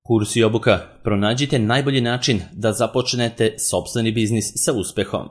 Kurs i obuka. Pronađite najbolji način da započnete sopstveni biznis sa uspehom.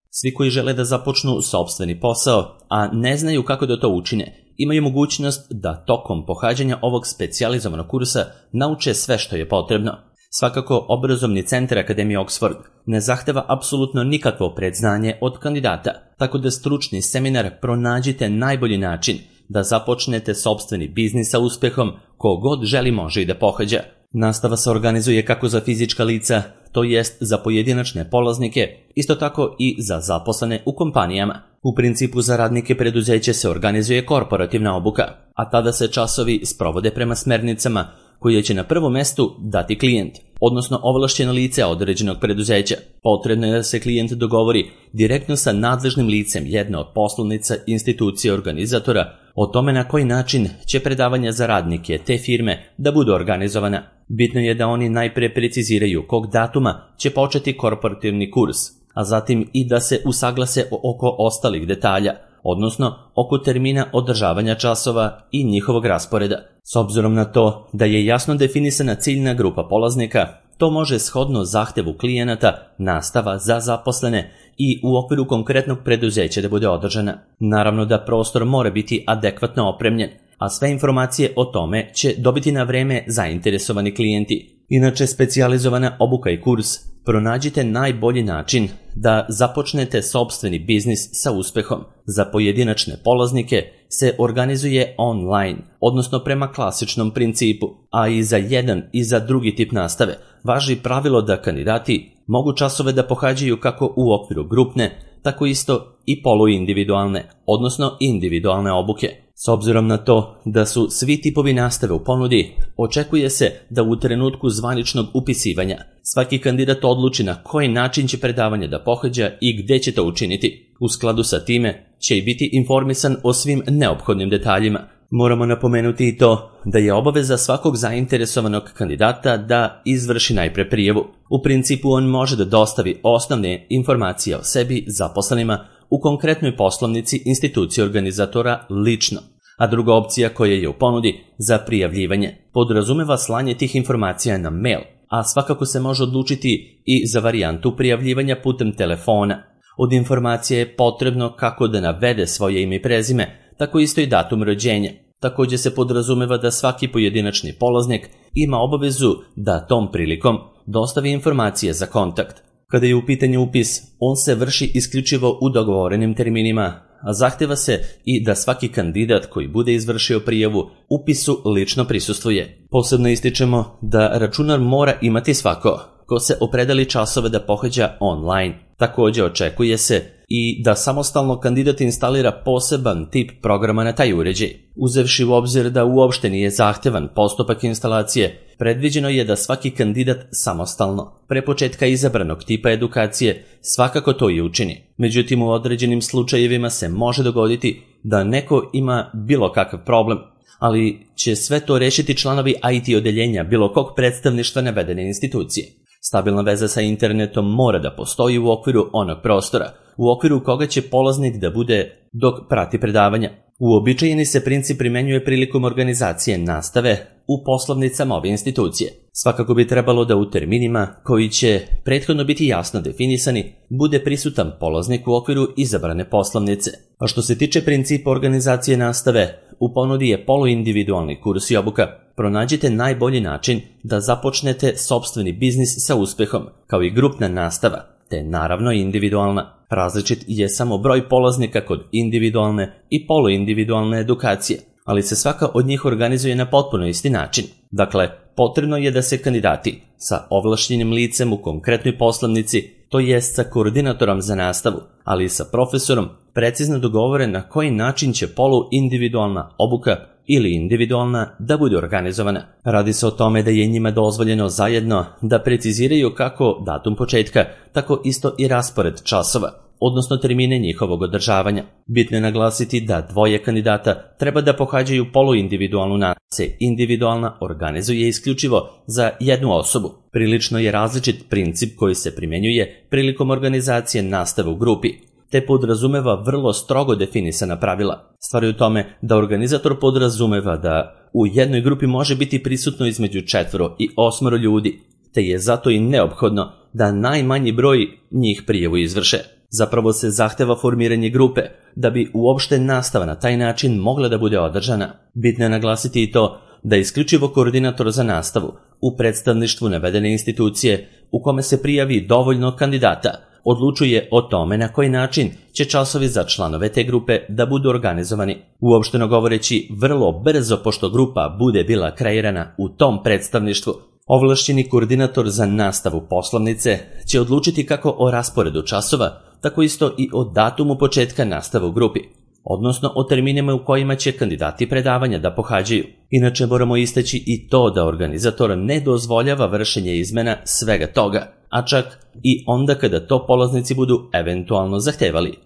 Svi koji žele da započnu sopstveni posao, a ne znaju kako da to učine, imaju mogućnost da tokom pohađanja ovog specijalizovanog kursa nauče sve što je potrebno. Svakako, obrazovni centar Akademije Oxford ne zahteva apsolutno nikakvo predznanje od kandidata, tako da stručni seminar Pronađite najbolji način da započnete sopstveni biznis sa uspehom, ko god želi može i da pohađa. Nastava se organizuje kako za fizička lica, to jest za pojedinačne polaznike, isto tako i za zaposlene u kompanijama. U principu za radnike preduzeća se organizuje korporativna obuka, a tada se časovi sprovode prema smernicama koje će na prvom mestu dati klijent, odnosno ovlašćeno lice određenog preduzeća. Potrebno je da se klijent dogovori direktno sa nadležnim licem jedne od poslovnica institucije organizatora o tome na koji način će predavanja za radnike te firme da budu organizovana. Bitno je da oni najpre preciziraju kog datuma će početi korporativni kurs, a zatim i da se usaglase oko ostalih detalja, odnosno oko termina održavanja časova i njihovog rasporeda. S obzirom na to da je jasno definisana ciljna grupa polaznika, to može shodno zahtevu klijenata nastava za zaposlene i u okviru konkretnog preduzeća da bude održana. Naravno da prostor mora biti adekvatno opremljen, a sve informacije o tome će dobiti na vreme zainteresovani klijenti. Inače, specijalizovana obuka i kurs Pronađite najbolji način da započnete sopstveni biznis sa uspehom za pojedinačne polaznike se organizuje online, odnosno prema klasičnom principu, a i za jedan i za drugi tip nastave važi pravilo da kandidati mogu časove da pohađaju kako u okviru grupne, tako isto i poluindividualne, odnosno individualne obuke. S obzirom na to da su svi tipovi nastave u ponudi, očekuje se da u trenutku zvaničnog upisivanja svaki kandidat odluči na koji način će predavanje da pohađa i gde će to učiniti. U skladu sa time će i biti informisan o svim neophodnim detaljima. Moramo napomenuti i to da je obaveza svakog zainteresovanog kandidata da izvrši najpre prijavu. U principu on može da dostavi osnovne informacije o sebi zaposlenima u konkretnoj poslovnici institucije organizatora lično, a druga opcija koja je u ponudi za prijavljivanje podrazumeva slanje tih informacija na mail, a svakako se može odlučiti i za varijantu prijavljivanja putem telefona. Od informacije je potrebno kako da navede svoje ime i prezime, tako isto i datum rođenja. Također se podrazumeva da svaki pojedinačni polaznik ima obavezu da tom prilikom dostavi informacije za kontakt. Kada je u pitanju upis, on se vrši isključivo u dogovorenim terminima, a zahteva se i da svaki kandidat koji bude izvršio prijavu upisu lično prisustvuje. Posebno ističemo da računar mora imati svako ko se opredeli časove da pohađa online. Također očekuje se i da samostalno kandidat instalira poseban tip programa na taj uređaj. Uzevši u obzir da uopšte nije zahtevan postupak instalacije, predviđeno je da svaki kandidat samostalno, pre početka izabranog tipa edukacije, svakako to i učini. Međutim, u određenim slučajevima se može dogoditi da neko ima bilo kakav problem, ali će sve to rešiti članovi IT odeljenja bilo kog predstavništva navedene institucije. Stabilna veza sa internetom mora da postoji u okviru onog prostora, u okviru koga će polaznik da bude dok prati predavanja. Uobičajeni se princip primenjuje prilikom organizacije nastave u poslovnicama ove institucije. Svakako bi trebalo da u terminima, koji će prethodno biti jasno definisani, bude prisutan polaznik u okviru izabrane poslovnice. A što se tiče principa organizacije nastave, u ponudi je poluindividualni kurs i obuka. Pronađite najbolji način da započnete sopstveni biznis sa uspehom, kao i grupna nastava, te naravno individualna. Različit je samo broj polaznika kod individualne i poluindividualne edukacije, ali se svaka od njih organizuje na potpuno isti način. Dakle, potrebno je da se kandidati sa ovlašćenim licem u konkretnoj poslovnici, to jest sa koordinatorom za nastavu, ali i sa profesorom, precizno dogovore na koji način će poluindividualna obuka ili individualna da bude organizovana. Radi se o tome da je njima dozvoljeno zajedno da preciziraju kako datum početka, tako isto i raspored časova, odnosno termine njihovog održavanja. Bitno je naglasiti da dvoje kandidata treba da pohađaju poluindividualnu nastavu. Se individualna organizuje isključivo za jednu osobu. Prilično je različit princip koji se primenjuje prilikom organizacije nastave u grupi. te podrazumeva vrlo strogo definisana pravila. Stvar je u tome da organizator podrazumeva da u jednoj grupi može biti prisutno između 4 i 8 ljudi, te je zato i neophodno da najmanji broj njih prijavu izvrše. Zapravo se zahteva formiranje grupe da bi uopšte nastava na taj način mogla da bude održana. Bitno je naglasiti i to da isključivo koordinator za nastavu u predstavništvu navedene institucije u kome se prijavi dovoljno kandidata odlučuje o tome na koji način će časovi za članove te grupe da budu organizovani. Uopšteno govoreći, vrlo brzo pošto grupa bude bila kreirana u tom predstavništvu, ovlašćeni koordinator za nastavu poslovnice će odlučiti kako o rasporedu časova, tako isto i o datumu početka nastave u grupi, odnosno o terminima u kojima će kandidati predavanja da pohađaju. Inače moramo istaći i to da organizator ne dozvoljava vršenje izmena svega toga, a čak i onda kada to polaznici budu eventualno zahtevali.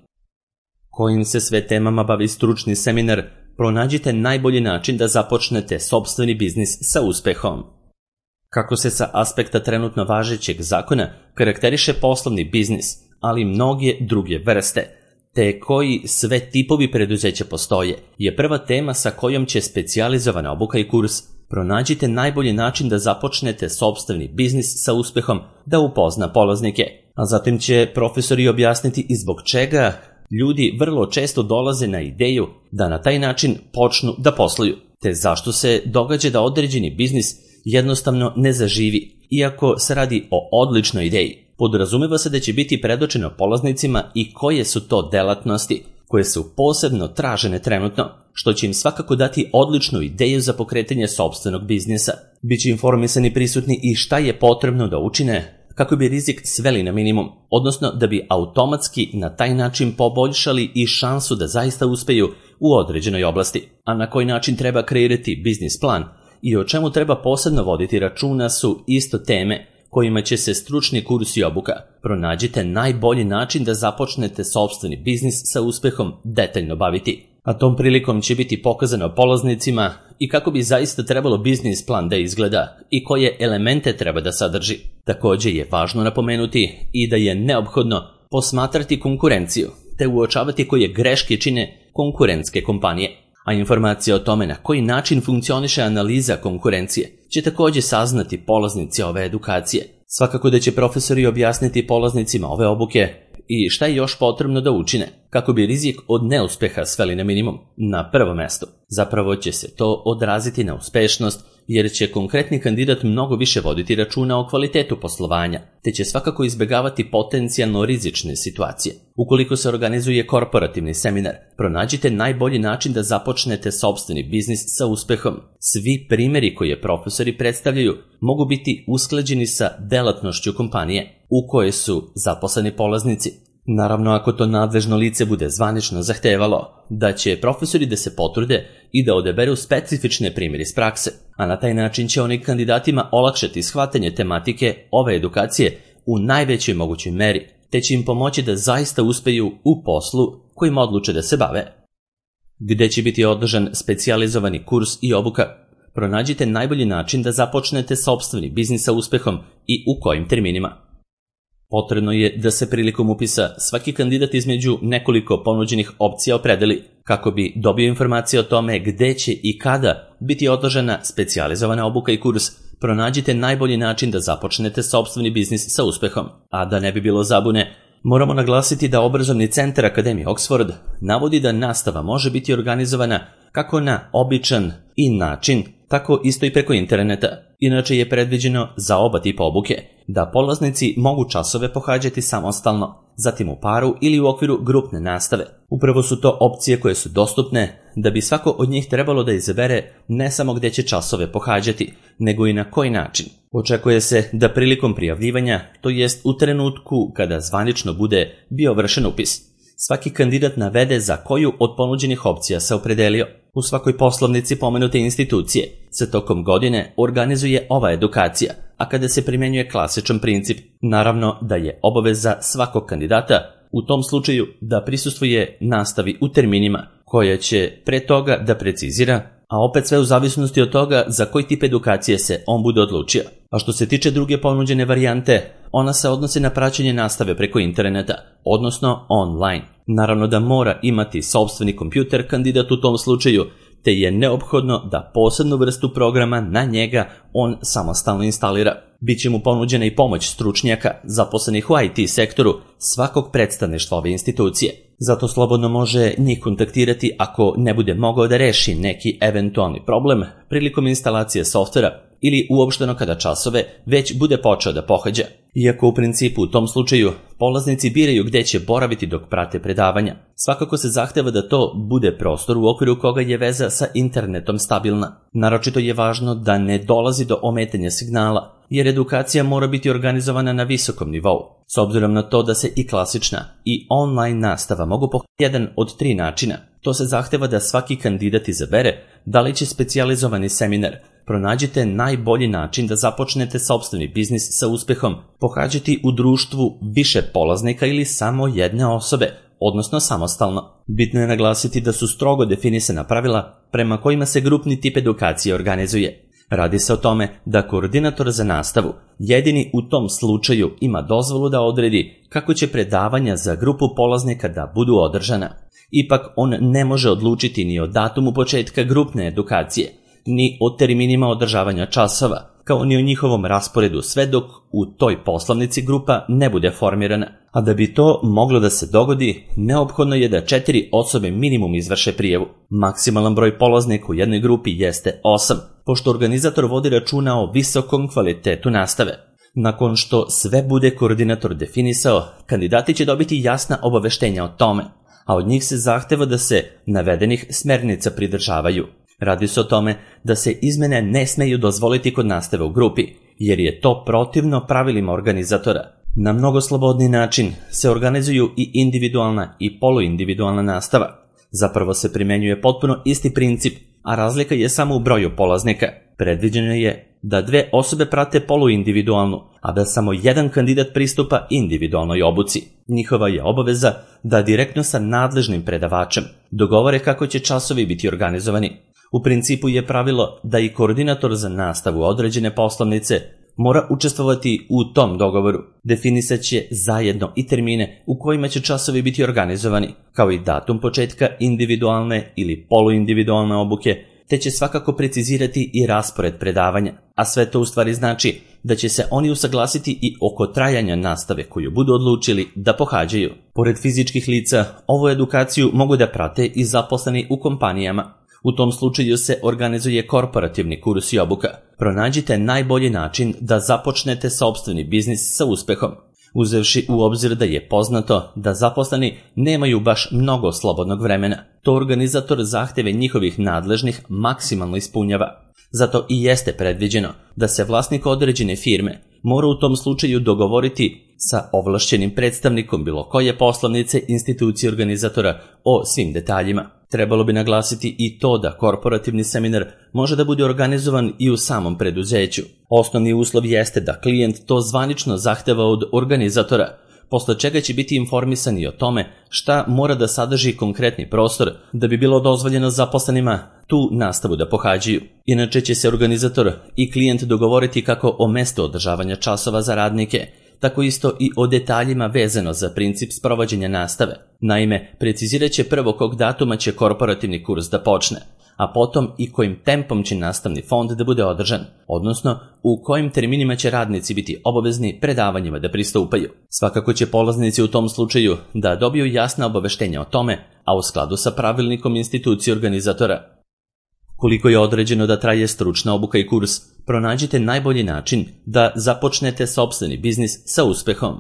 Kojim se sve temama bavi stručni seminar, pronađite najbolji način da započnete sopstveni biznis sa uspehom. Kako se sa aspekta trenutno važećeg zakona karakteriše poslovni biznis, ali mnoge druge vrste, te koji sve tipovi preduzeća postoje, je prva tema sa kojom će specijalizovana obuka i kurs Pronađite najbolji način da započnete sopstveni biznis sa uspehom da upozna polaznike, a zatim će profesori objasniti i zbog čega ljudi vrlo često dolaze na ideju da na taj način počnu da posluju, te zašto se događa da određeni biznis jednostavno ne zaživi, iako se radi o odličnoj ideji. Podrazumeva se da će biti predočeno polaznicima i koje su to delatnosti koje su posebno tražene trenutno, što će im svakako dati odličnu ideju za pokretanje sopstvenog biznisa. Biće informisani prisutni i šta je potrebno da učine kako bi rizik sveli na minimum, odnosno da bi automatski na taj način poboljšali i šansu da zaista uspeju u određenoj oblasti. A na koji način treba kreirati biznis plan i o čemu treba posebno voditi računa su isto teme kojima će se stručni kurs i obuka Pronađite najbolji način da započnete sopstveni biznis sa uspehom detaljno baviti. A tom prilikom će biti pokazano polaznicima i kako bi zaista trebalo biznis plan da izgleda i koje elemente treba da sadrži. Također je važno napomenuti i da je neophodno posmatrati konkurenciju te uočavati koje greške čine konkurentske kompanije. A informacija o tome na koji način funkcioniše analiza konkurencije će također saznati polaznici ove edukacije. Svakako da će profesori objasniti polaznicima ove obuke i šta je još potrebno da učine kako bi rizik od neuspeha sveli na minimum. Na prvo mesto, zapravo će se to odraziti na uspešnost jer će konkretni kandidat mnogo više voditi računa o kvalitetu poslovanja, te će svakako izbegavati potencijalno rizične situacije. Ukoliko se organizuje korporativni seminar, pronađite najbolji način da započnete sopstveni biznis sa uspehom. Svi primjeri koje profesori predstavljaju mogu biti usklađeni sa delatnošću kompanije u kojoj su zaposleni polaznici. Naravno, ako to nadležno lice bude zvanično zahtevalo, da će profesori da se potrude i da odaberu specifične primjere iz prakse, a na taj način će oni kandidatima olakšati shvatanje tematike ove edukacije u najvećoj mogućoj meri, te će im pomoći da zaista uspeju u poslu kojim odluče da se bave. Gde će biti održan specijalizovani kurs i obuka? Pronađite najbolji način da započnete sopstveni biznis sa uspehom i u kojim terminima. Potrebno je da se prilikom upisa svaki kandidat između nekoliko ponuđenih opcija opredeli kako bi dobio informacije o tome gde će i kada biti održana specijalizovana obuka i kurs. Pronađite najbolji način da započnete sopstveni biznis sa uspehom. A da ne bi bilo zabune, moramo naglasiti da obrazovni centar Akademije Oxford navodi da nastava može biti organizovana kako na običan i način, tako isto i preko interneta. Inače je predviđeno za oba tipa obuke da polaznici mogu časove pohađati samostalno, zatim u paru ili u okviru grupne nastave. Upravo su to opcije koje su dostupne da bi svako od njih trebalo da izabere ne samo gde će časove pohađati, nego i na koji način. Očekuje se da prilikom prijavljivanja, to jest u trenutku kada zvanično bude bio vršen upis, svaki kandidat navede za koju od ponuđenih opcija se opredelio. U svakoj poslovnici pomenute institucije se tokom godine organizuje ova edukacija, a kada se primjenjuje klasičan princip, naravno da je obaveza svakog kandidata u tom slučaju da prisustvuje nastavi u terminima koja će pre toga da precizira, a opet sve u zavisnosti od toga za koji tip edukacije se on bude odlučio. A što se tiče druge ponuđene varijante, ona se odnosi na praćenje nastave preko interneta, odnosno online. Naravno da mora imati sopstveni kompjuter kandidat u tom slučaju, te je neophodno da posebnu vrstu programa na njega on samostalno instalira. Biće mu ponuđena i pomoć stručnjaka zaposlenih u IT sektoru svakog predstavništva ove institucije. Zato slobodno može njih kontaktirati ako ne bude mogao da reši neki eventualni problem prilikom instalacije softvera ili uopšteno kada časove već bude počeo da pohađa. Iako u principu u tom slučaju polaznici biraju gde će boraviti dok prate predavanja, svakako se zahteva da to bude prostor u okviru koga je veza sa internetom stabilna. Naročito je važno da ne dolazi do ometanja signala, jer edukacija mora biti organizovana na visokom nivou. S obzirom na to da se i klasična i online nastava mogu pohađati jedan od 3 načina, to se zahteva da svaki kandidat izabere da li će specijalizovani seminar. Pronađite najbolji način da započnete sopstveni biznis sa uspehom, pohađati u društvu više polaznika ili samo jedne osobe, odnosno samostalno. Bitno je naglasiti da su strogo definisana pravila prema kojima se grupni tip edukacije organizuje. Radi se o tome da koordinator za nastavu jedini u tom slučaju ima dozvolu da odredi kako će predavanja za grupu polaznika da budu održana. Ipak on ne može odlučiti ni o datumu početka grupne edukacije, ni o terminima održavanja časova, kao ni o njihovom rasporedu sve dok u toj poslovnici grupa ne bude formirana. A da bi to moglo da se dogodi, neophodno je da 4 osobe minimum izvrše prijavu. Maksimalan broj polaznika u jednoj grupi jeste 8, pošto organizator vodi računa o visokom kvalitetu nastave. Nakon što sve bude koordinator definisao, kandidati će dobiti jasna obaveštenja o tome, a od njih se zahteva da se navedenih smernica pridržavaju. Radi se o tome da se izmene ne smeju dozvoliti kod nastave u grupi, jer je to protivno pravilima organizatora. Na mnogo slobodni način se organizuju i individualna i poluindividualna nastava. Zapravo se primenjuje potpuno isti princip, a razlika je samo u broju polaznika. Predviđeno je da 2 osobe prate poluindividualnu, a da samo jedan kandidat pristupa individualnoj obuci. Njihova je obaveza da direktno sa nadležnim predavačem dogovore kako će časovi biti organizovani. U principu je pravilo da i koordinator za nastavu određene poslovnice mora učestvovati u tom dogovoru. Definisat će zajedno i termine u kojima će časovi biti organizovani, kao i datum početka individualne ili poluindividualne obuke, te će svakako precizirati i raspored predavanja, a sve to u stvari znači da će se oni usaglasiti i oko trajanja nastave koju budu odlučili da pohađaju. Pored fizičkih lica, ovu edukaciju mogu da prate i zaposleni u kompanijama. U tom slučaju se organizuje korporativni kurs i obuka. Pronađite najbolji način da započnete sopstveni biznis sa uspehom, uzevši u obzir da je poznato da zaposleni nemaju baš mnogo slobodnog vremena. To organizator zahteve njihovih nadležnih maksimalno ispunjava. Zato i jeste predviđeno da se vlasnik određene firme mora u tom slučaju dogovoriti sa ovlašćenim predstavnikom bilo koje poslovnice institucije organizatora o svim detaljima. Trebalo bi naglasiti i to da korporativni seminar može da bude organizovan i u samom preduzeću. Osnovni uslov jeste da klijent to zvanično zahteva od organizatora, posle čega će biti informisani o tome šta mora da sadrži konkretni prostor da bi bilo dozvoljeno zaposlenima tu nastavu da pohađaju. Inače će se organizator i klijent dogovoriti kako o mestu održavanja časova za radnike, tako isto i o detaljima vezano za princip sprovođenja nastave. Naime, precizirat će prvo kog datuma će korporativni kurs da počne, a potom i kojim tempom će nastavni fond da bude održan, odnosno u kojim terminima će radnici biti obavezni predavanjima da pristupaju. Svakako će polaznici u tom slučaju da dobiju jasna obaveštenja o tome, a u skladu sa pravilnikom institucije organizatora. Koliko je određeno da traje stručna obuka i kurs, pronađite najbolji način da započnete sopstveni biznis sa uspehom.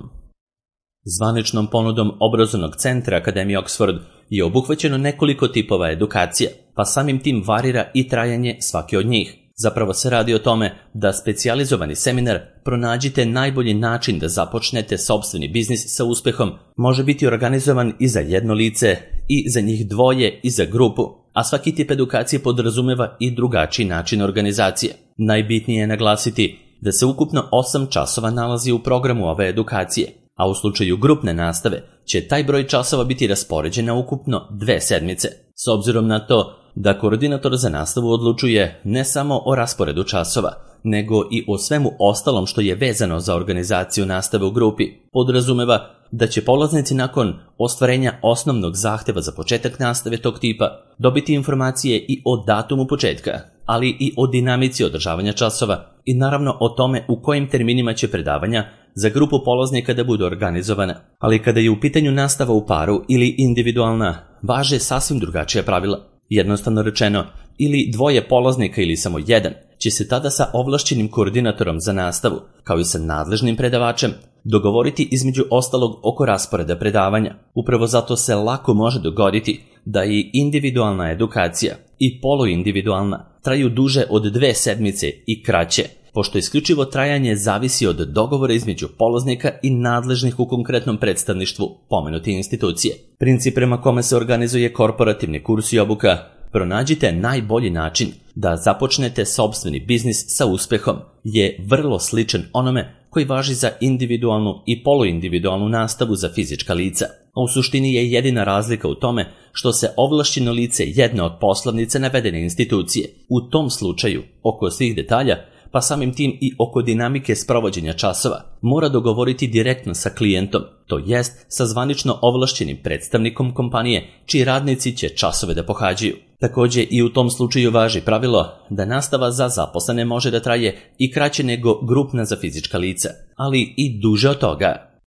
Zvaničnom ponudom obrazovnog centra Akademije Oxford je obuhvaćeno nekoliko tipova edukacija, pa samim tim varira i trajanje svake od njih. Zapravo se radi o tome da specijalizovani seminar Pronađite najbolji način da započnete sopstveni biznis sa uspehom može biti organizovan i za jedno lice, i za njih dvoje, i za grupu, a svaki tip edukacije podrazumeva i drugačiji način organizacije. Najbitnije je naglasiti da se ukupno 8 časova nalazi u programu ove edukacije, a u slučaju grupne nastave će taj broj časova biti raspoređen na ukupno 2 sedmice. S obzirom na to da koordinator za nastavu odlučuje ne samo o rasporedu časova, nego i o svemu ostalom što je vezano za organizaciju nastave u grupi. Podrazumeva da će polaznici nakon ostvarenja osnovnog zahteva za početak nastave tog tipa dobiti informacije i o datumu početka, ali i o dinamici održavanja časova i naravno o tome u kojim terminima će predavanja za grupu polaznika da budu organizovana. Ali kada je u pitanju nastava u paru ili individualna, važe sasvim drugačija pravila. Jednostavno rečeno, ili dvoje polaznika ili samo jedan će se tada sa ovlašćenim koordinatorom za nastavu, kao i sa nadležnim predavačem, dogovoriti između ostalog oko rasporeda predavanja. Upravo zato se lako može dogoditi da i individualna edukacija i poluindividualna traju duže od 2 sedmice i kraće, pošto isključivo trajanje zavisi od dogovora između polaznika i nadležnih u konkretnom predstavništvu pomenute institucije. Princip prema kome se organizuje korporativni kurs i obuka: pronađite najbolji način da započnete sopstveni biznis sa uspehom je vrlo sličan onome koji važi za individualnu i poluindividualnu nastavu za fizička lica. A u suštini je jedina razlika u tome što se ovlašćeno lice jedne od poslovnice navedene institucije u tom slučaju oko svih detalja, pa samim tim i oko dinamike sprovođenja časova, mora dogovoriti direktno sa klijentom, to jest sa zvanično ovlašćenim predstavnikom kompanije čiji radnici će časove da pohađaju. Također i u tom slučaju važi pravilo da nastava za zaposlene može da traje i kraće nego grupna za fizička lica, ali i duže od toga.